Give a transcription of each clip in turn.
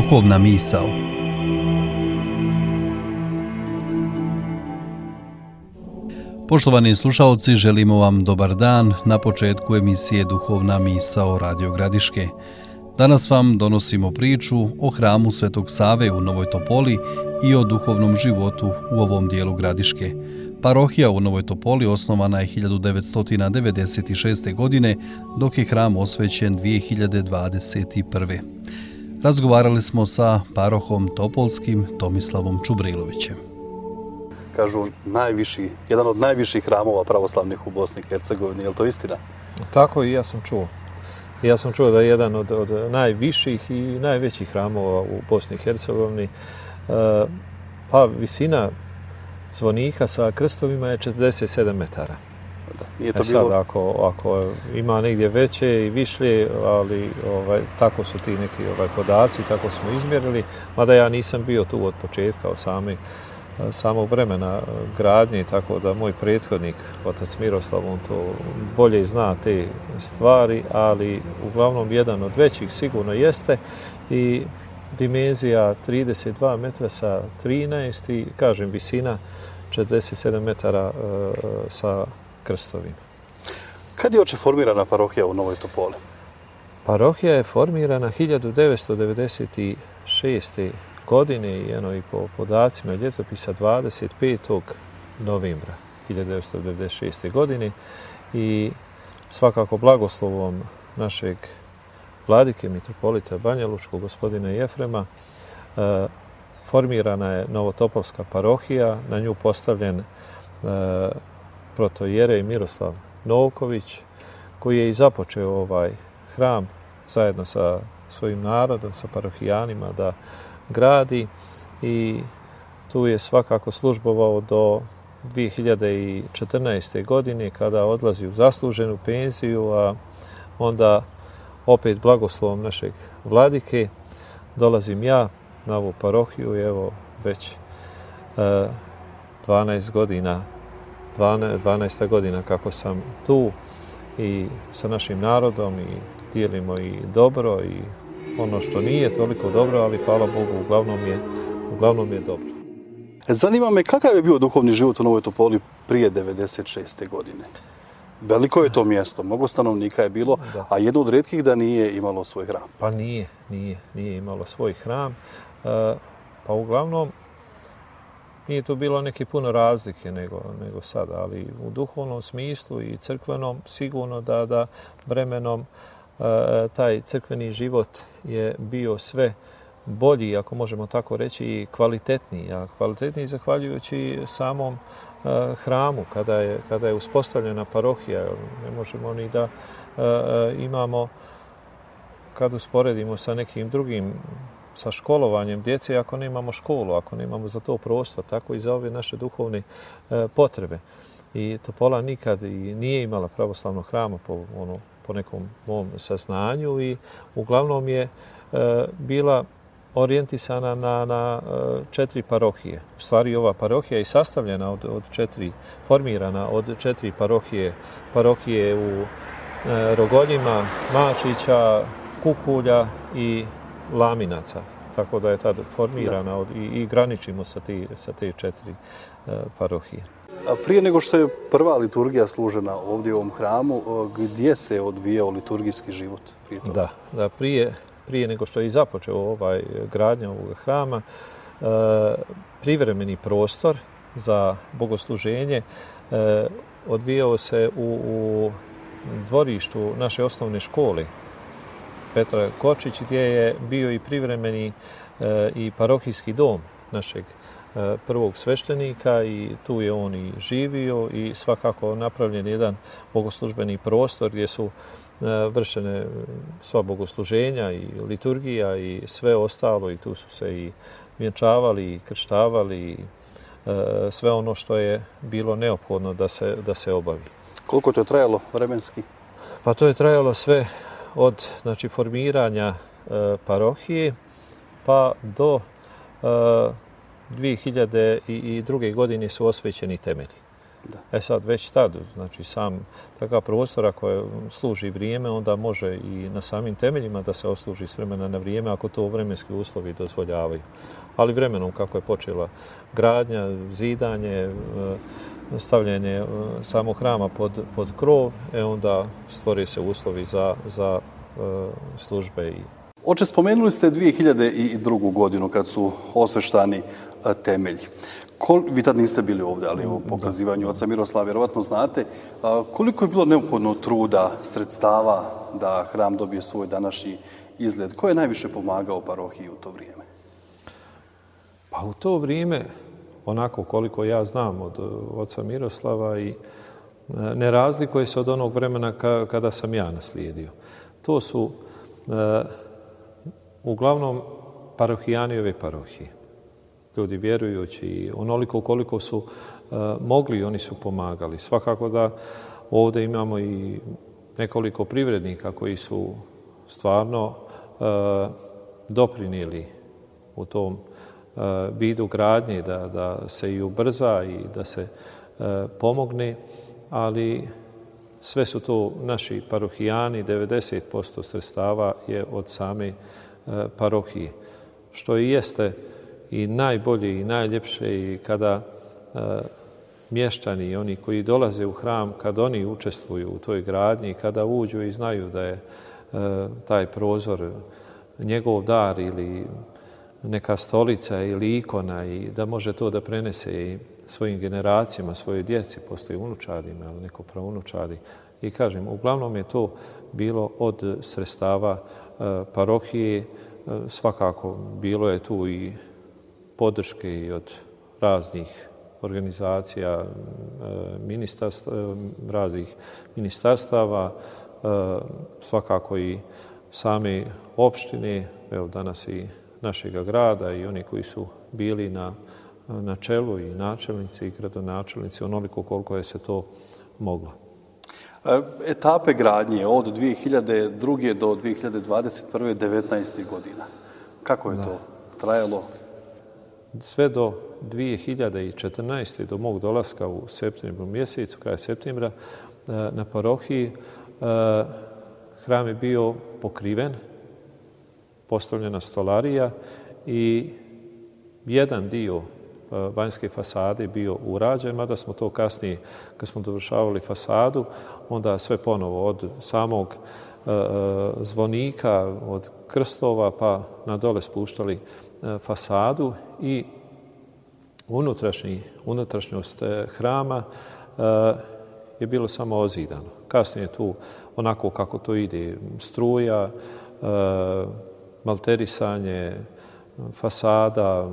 Duhovna misao. Poštovani slušaoci, želimo vam dobar dan na početku emisije Duhovna misao Radio Gradiške. Danas vam donosimo priču o hramu Svetog Save u Novoj Topoli i o duhovnom životu u ovom dijelu Gradiške. Parohija u Novoj Topoli osnovana je 1996. godine, dok je hram osvećen 2021. Razgovarali smo sa parohom Topolskim Tomislavom Čubrilovićem. Kažu jedan od najviših hramova pravoslavnih u Bosni i Hercegovini, je li to istina? Tako i ja sam čuo. Ja sam čuo da je jedan od najviših i najvećih hramova u Bosni i Hercegovini. Pa visina zvonika sa krstovima je 47 metara. Nije to bilo... Sad, ako ima negdje veće i višlje, ali tako su ti neki podaci, tako smo izmjerili, mada ja nisam bio tu od početka, od samog vremena gradnje, tako da moj prethodnik, otac Miroslav, on to bolje zna te stvari, ali uglavnom jedan od većih sigurno jeste i dimenzija 32 metra sa 13 i, kažem, visina 47 metara sa krstovima. Kad je uopće formirana parohija u Novoj Topoli? Parohija je formirana 1996. godine i i po podacima ljetopisa 25. novembra 1996. godine i svakako blagoslovom našeg vladike mitropolita Banja Lučkog, gospodina Jefrema, formirana je Novotopolska parohija, na nju postavljen protoijerej Miroslav Novković, koji je i započeo ovaj hram zajedno sa svojim narodom, sa parohijanima da gradi i tu je svakako službovao do 2014. godine kada odlazi u zasluženu penziju, a onda opet blagoslovom našeg vladike dolazim ja na ovu parohiju i evo već 12 godina kako sam tu i sa našim narodom i dijelimo i dobro i ono što nije toliko dobro, ali hvala Bogu, uglavnom je dobro. Zanima me kakav je bio duhovni život u Novoj Topoli prije 96. godine? Veliko je to mjesto, mnogo stanovnika je bilo, da. A jedno od rijetkih da nije imalo svoj hram. Pa nije imalo svoj hram. Pa uglavnom nije tu bilo neke puno razlike nego sada, ali u duhovnom smislu i crkvenom sigurno da vremenom taj crkveni život je bio sve bolji, ako možemo tako reći, i kvalitetniji. A kvalitetniji zahvaljujući samom hramu, kada je uspostavljena parohija. Ne možemo ni da imamo, kad usporedimo sa nekim drugim, sa školovanjem djece, ako nemamo školu, ako nemamo za to prostor, tako i za ove naše duhovne potrebe. I Topola nikad i nije imala pravoslavnog hrama po nekom mom saznanju i uglavnom je bila orijentisana na 4 parohije. U stvari ova parohija je sastavljena formirana od 4 parohije. Parohije u Rogoljima, Mačića, Kukulja i Laminaca. Tako da je tad formirana i graničimo sa te 4 parohije. A prije nego što je prva liturgija služena ovdje u ovom hramu, gdje se odvijao liturgijski život? Da, prije nego što je započeo gradnja ovog hrama, privremeni prostor za bogosluženje odvijao se u dvorištu naše osnovne škole Petra Kočić, gdje je bio i privremeni i parohijski dom našeg prvog sveštenika i tu je on i živio i svakako napravljen jedan bogoslužbeni prostor gdje su vršene sva bogosluženja i liturgija i sve ostalo i tu su se i vjenčavali i krštavali i sve ono što je bilo neophodno da se obavi. Koliko to je trajalo vremenski? Pa to je trajalo sve od formiranja parohije pa do 2002. godine su osvećeni temelji. Da. Sad već tad, znači sam takav prostora koja služi vrijeme, onda može i na samim temeljima da se osluži s vremena na vrijeme ako to vremenski uslovi dozvoljavaju. Ali vremenom kako je počela gradnja, zidanje, stavljanje samog hrama pod krov, onda stvore se uslovi za službe. Oče, spomenuli ste 2002. godinu kad su osveštani temelji. Vi tad niste bili ovdje, ali u pokazivanju oca Miroslava vjerovatno znate. Koliko je bilo neophodno truda, sredstava da hram dobije svoj današnji izgled? Ko je najviše pomagao parohiji u to vrijeme? Pa u to vrijeme, onako koliko ja znam od oca Miroslava, i ne razlikuje se od onog vremena kada sam ja naslijedio. To su uglavnom parohijani ove parohije. Ljudi vjerujući i onoliko koliko su mogli, oni su pomagali. Svakako da ovdje imamo i nekoliko privrednika koji su stvarno doprinijeli u tom vidu gradnje da se i ubrza i da se pomogne, ali sve su to naši parohijani, 90% sredstava je od same parohije. Što i jeste i najbolje i najljepše i kada mještani i oni koji dolaze u hram, kada oni učestvuju u toj gradnji, kada uđu i znaju da je taj prozor njegov dar ili neka stolica ili ikona i da može to da prenese i svojim generacijama, svojoj djeci, postoji unučarima ili neko praunučari. I kažem, uglavnom je to bilo od sredstava parohije. Svakako bilo je tu i podrške i od raznih organizacija, raznih ministarstava, svakako i same opštine, evo danas i našega grada i oni koji su bili na čelu i načelnici i gradonačelnici, onoliko koliko je se to moglo. Etape gradnje od 2002. do 2021. 19. godina. Kako je to trajalo? Sve do 2014. do mog dolaska u septembru mjesecu, kraj septembra, na parohiji, hram je bio pokriven, postavljena stolarija i jedan dio vanjske fasade bio urađen, mada smo to kasnije, kad smo dovršavali fasadu, onda sve ponovo od samog zvonika, od krstova pa na dole spuštali fasadu i unutrašnjost hrama je bilo samo ozidano. Kasnije tu, onako kako to ide, struja, malterisanje, fasada,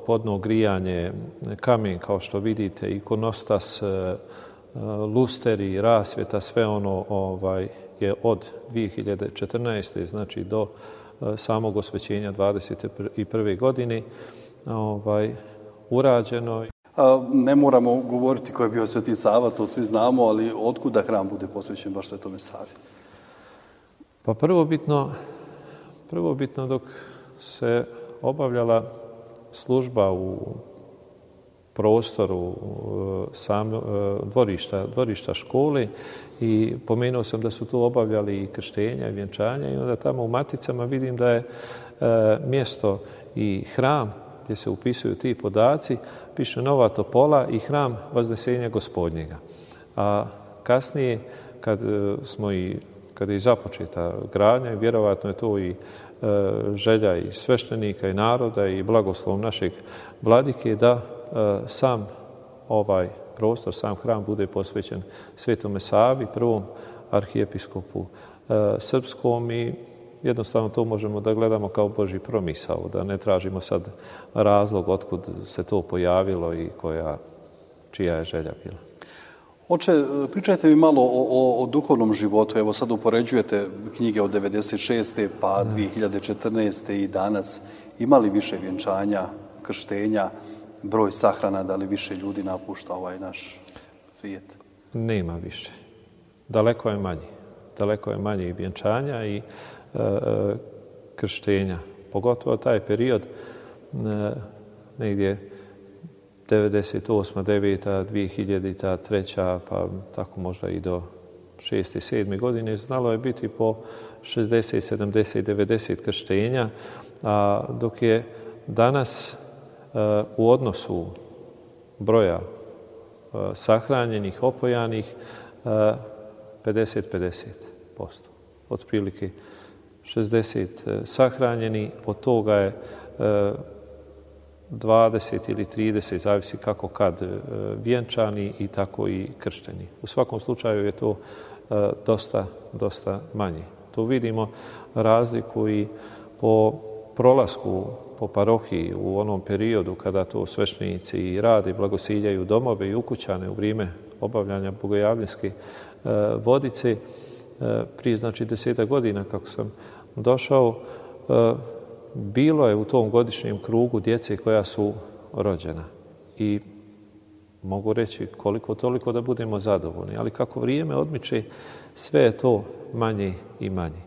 podno grijanje, kamen kao što vidite, ikonostas, lusteri, rasvjeta, sve ono je od 2014. znači do samog osvećenja 21. godine urađeno. Ne moramo govoriti ko je bio Sveti Sava, to svi znamo, ali otkuda hram bude posvećen baš Svetome Savi? Pa prvobitno dok se obavljala služba u prostoru dvorišta škole i pomenuo sam da su tu obavljali i krštenja i vjenčanja i onda tamo u maticama vidim da je mjesto i hram gdje se upisuju ti podaci, piše Nova Topola i hram Vaznesenja Gospodnjega. A kasnije, kad je započeta gradnja, vjerovatno je to i želja i sveštenika i naroda i blagoslovom našeg vladike da sam ovaj prostor, sam hram bude posvećen Svetome Savi, prvom arhijepiskopu srpskom i jednostavno to možemo da gledamo kao Božji promisao, da ne tražimo sad razlog otkud se to pojavilo i čija je želja bila. Oče, pričajte mi malo o duhovnom životu. Evo sad upoređujete knjige od 96. pa 2014. i danas. Ima li više vjenčanja, krštenja, broj sahrana, da li više ljudi napušta ovaj naš svijet? Nema više. Daleko je manje. Daleko je manje i vjenčanja i krštenja. Pogotovo taj period negdje 98. 9. 2000. 3. pa tako možda i do 6. 7. godine znalo je biti po 60, 70, 90 krštenja, a dok je danas u odnosu broja sahranjenih, opojanih 50-50%. Otprilike 60 sahranjeni, od toga je 20 ili 30, zavisi kako kad, vjenčani i tako i kršteni. U svakom slučaju je to dosta manje. Tu vidimo razliku i po prolasku po parohiji u onom periodu kada to sveštenici rade, blagosiljaju domove i ukućane u vrijeme obavljanja bogojavljanske vodice. Prije 10 godina kako sam došao, bilo je u tom godišnjem krugu djece koja su rođena. I mogu reći koliko toliko da budemo zadovoljni. Ali kako vrijeme odmiče, sve je to manje i manje.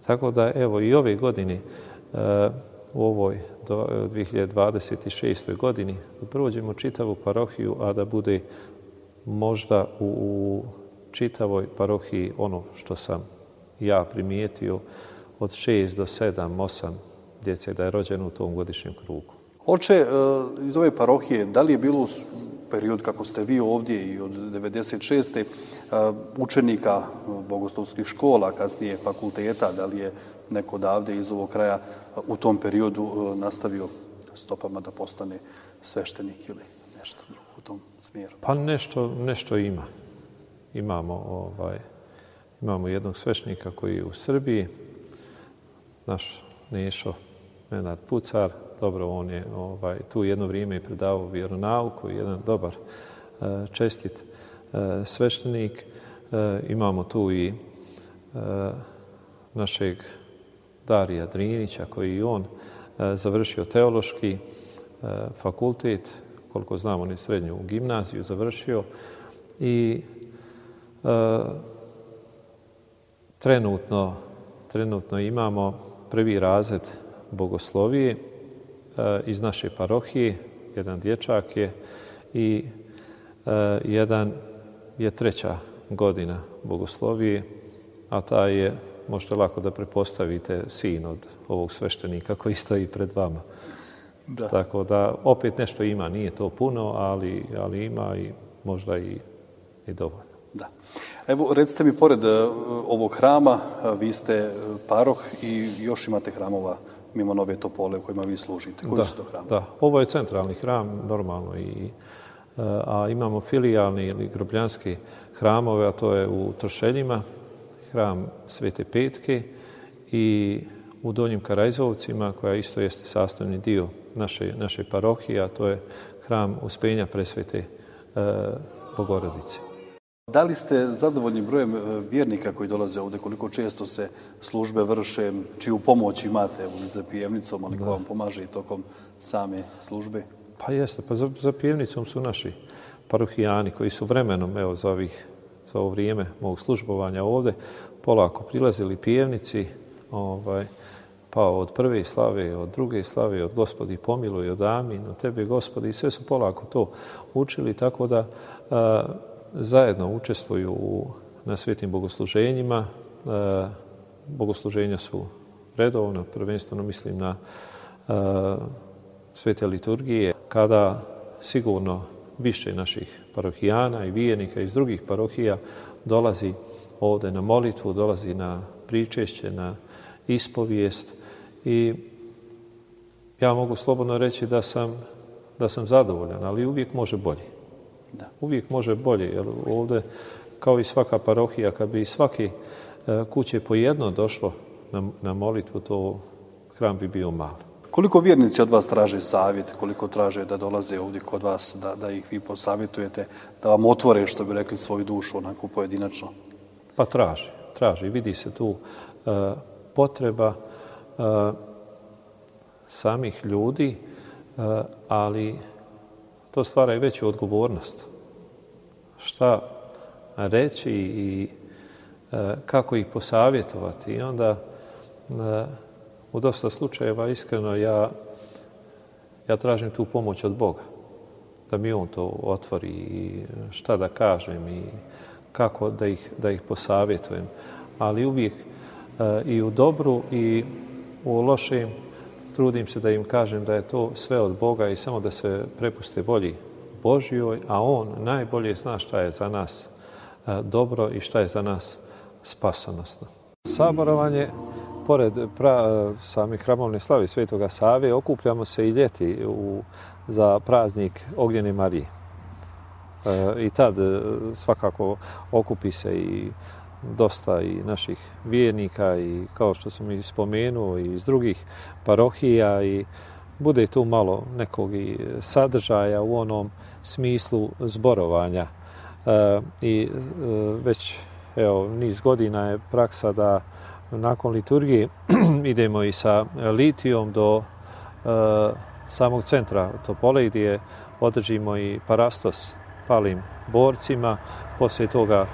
Tako da evo i ove godine u ovoj 2026. godini prođemo čitavu parohiju, a da bude možda u čitavoj parohiji ono što sam ja primijetio od 6 do 7, 8 djece da je rođeno u tom godišnjem krugu. Oče, iz ove parohije, da li je bilo period kako ste vi ovdje i od 96. učenika bogoslovskih škola, kasnije fakulteta, da li je neko odavde iz ovog kraja u tom periodu nastavio stopama da postane sveštenik ili nešto drugo u tom smjeru? Pa nešto ima. Imamo jednog sveštenika koji je u Srbiji, naš Nešo Nenad Pucar. Dobro, on je tu jedno vrijeme i predavao vjeronauku, jedan dobar, čestit sveštenik. Imamo tu i našeg Darija Drinića, koji i on završio teološki fakultet, koliko znam on je srednju gimnaziju završio i trenutno imamo prvi razred bogoslovije iz naše parohije, jedan dječak je i jedan je 3. godina bogoslovije, a taj je, možete lako da prepostavite, sin od ovog sveštenika koji stoji pred vama. Da. Tako da opet nešto ima, nije to puno, ali ima i možda i dovoljno. Da. Evo, recite mi, pored ovog hrama, vi ste paroh i još imate hramova mimo Nove Topole u kojima vi služite. Koji su to hramovi? Da, ovo je centralni hram, normalno, a imamo filijalni ili grobljanski hramove, a to je u Trošeljima, hram Svete Petke, i u Donjim Karajzovcima, koja isto jeste sastavni dio naše parohije, a to je hram Uspenja Presvete Bogorodice. Da li ste zadovoljni brojem vjernika koji dolaze ovdje? Koliko često se službe vrše? Čiju pomoć imate za pjevnicom, ali ko vam pomaže i tokom same službe? Pa jeste, pa za pjevnicom su naši parohijani koji su vremenom, evo za ovo vrijeme mog službovanja ovdje, polako prilazili pjevnici, pa od prve slave, od druge slave, od Gospodi pomiluj, od Amin, od Tebe Gospodi, i sve su polako to učili, tako da zajedno učestvuju na svetim bogosluženjima. Bogosluženja su redovno, prvenstveno mislim na svete liturgije, kada sigurno više naših parohijana i vijenika iz drugih parohija dolazi ovdje na molitvu, dolazi na pričešće, na ispovijest, i ja mogu slobodno reći da sam zadovoljan, ali uvijek može bolje. Da. Uvijek može bolje, jer ovdje, kao i svaka parohija, kad bi svake kuće po jedno došlo na molitvu, to hram bi bio mali. Koliko vjernici od vas traže savjet, koliko traže da dolaze ovdje kod vas, da ih vi posavjetujete, da vam otvore, što bi rekli, svoju dušu onako pojedinačno? Pa traži. Vidi se tu potreba samih ljudi, ali to stvara i veću odgovornost. Šta reći i kako ih posavjetovati. I onda u dosta slučajeva, iskreno, ja tražim tu pomoć od Boga. da mi on to otvori i šta da kažem i kako da ih posavjetujem. Ali uvijek i u dobru i u lošem trudim se da im kažem da je to sve od Boga i samo da se prepuste volji Božjoj, a On najbolje zna šta je za nas dobro i šta je za nas spasonosno. Saborovanje, pored same hramovne slave Svetoga Save, okupljamo se i ljeti za praznik Ognjene Marije. I tad svakako okupi se i dosta i naših vjernika i kao što sam i spomenuo i iz drugih parohija i bude tu malo nekog i sadržaja u onom smislu zborovanja. I već niz godina je praksa da nakon liturgije idemo i sa litijom do samog centra Topole gdje održimo i parastos palim borcima. Poslije toga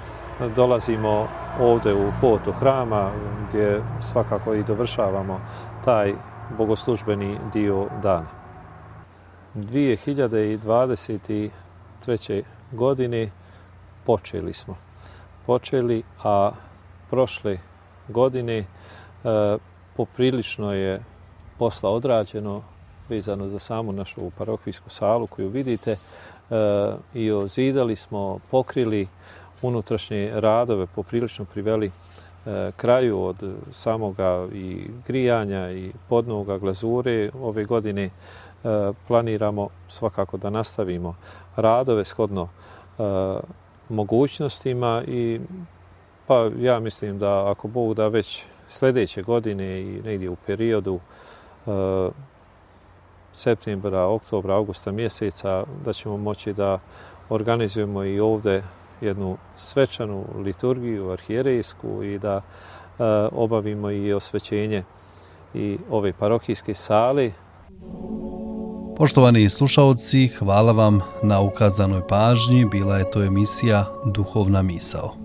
dolazimo ovdje u portu hrama gdje svakako i dovršavamo taj bogoslužbeni dio dana. 2023. godine počeli, a prošle godine poprilično je posla odrađeno vezano za samu našu parohijsku salu koju vidite i ozidali smo, pokrili unutrašnje radove, poprilično priveli kraju od samoga i grijanja i podnoga glazure. Ove godine planiramo svakako da nastavimo radove shodno mogućnostima i pa ja mislim da ako Bog da već sljedeće godine i negdje u periodu septembra, oktobra, augusta mjeseca da ćemo moći da organizujemo i ovdje jednu svečanu liturgiju arhijerejsku i da obavimo i osvećenje i ove parohijske sale. Poštovani slušaoci, hvala vam na ukazanoj pažnji. Bila je to emisija Duhovna misao.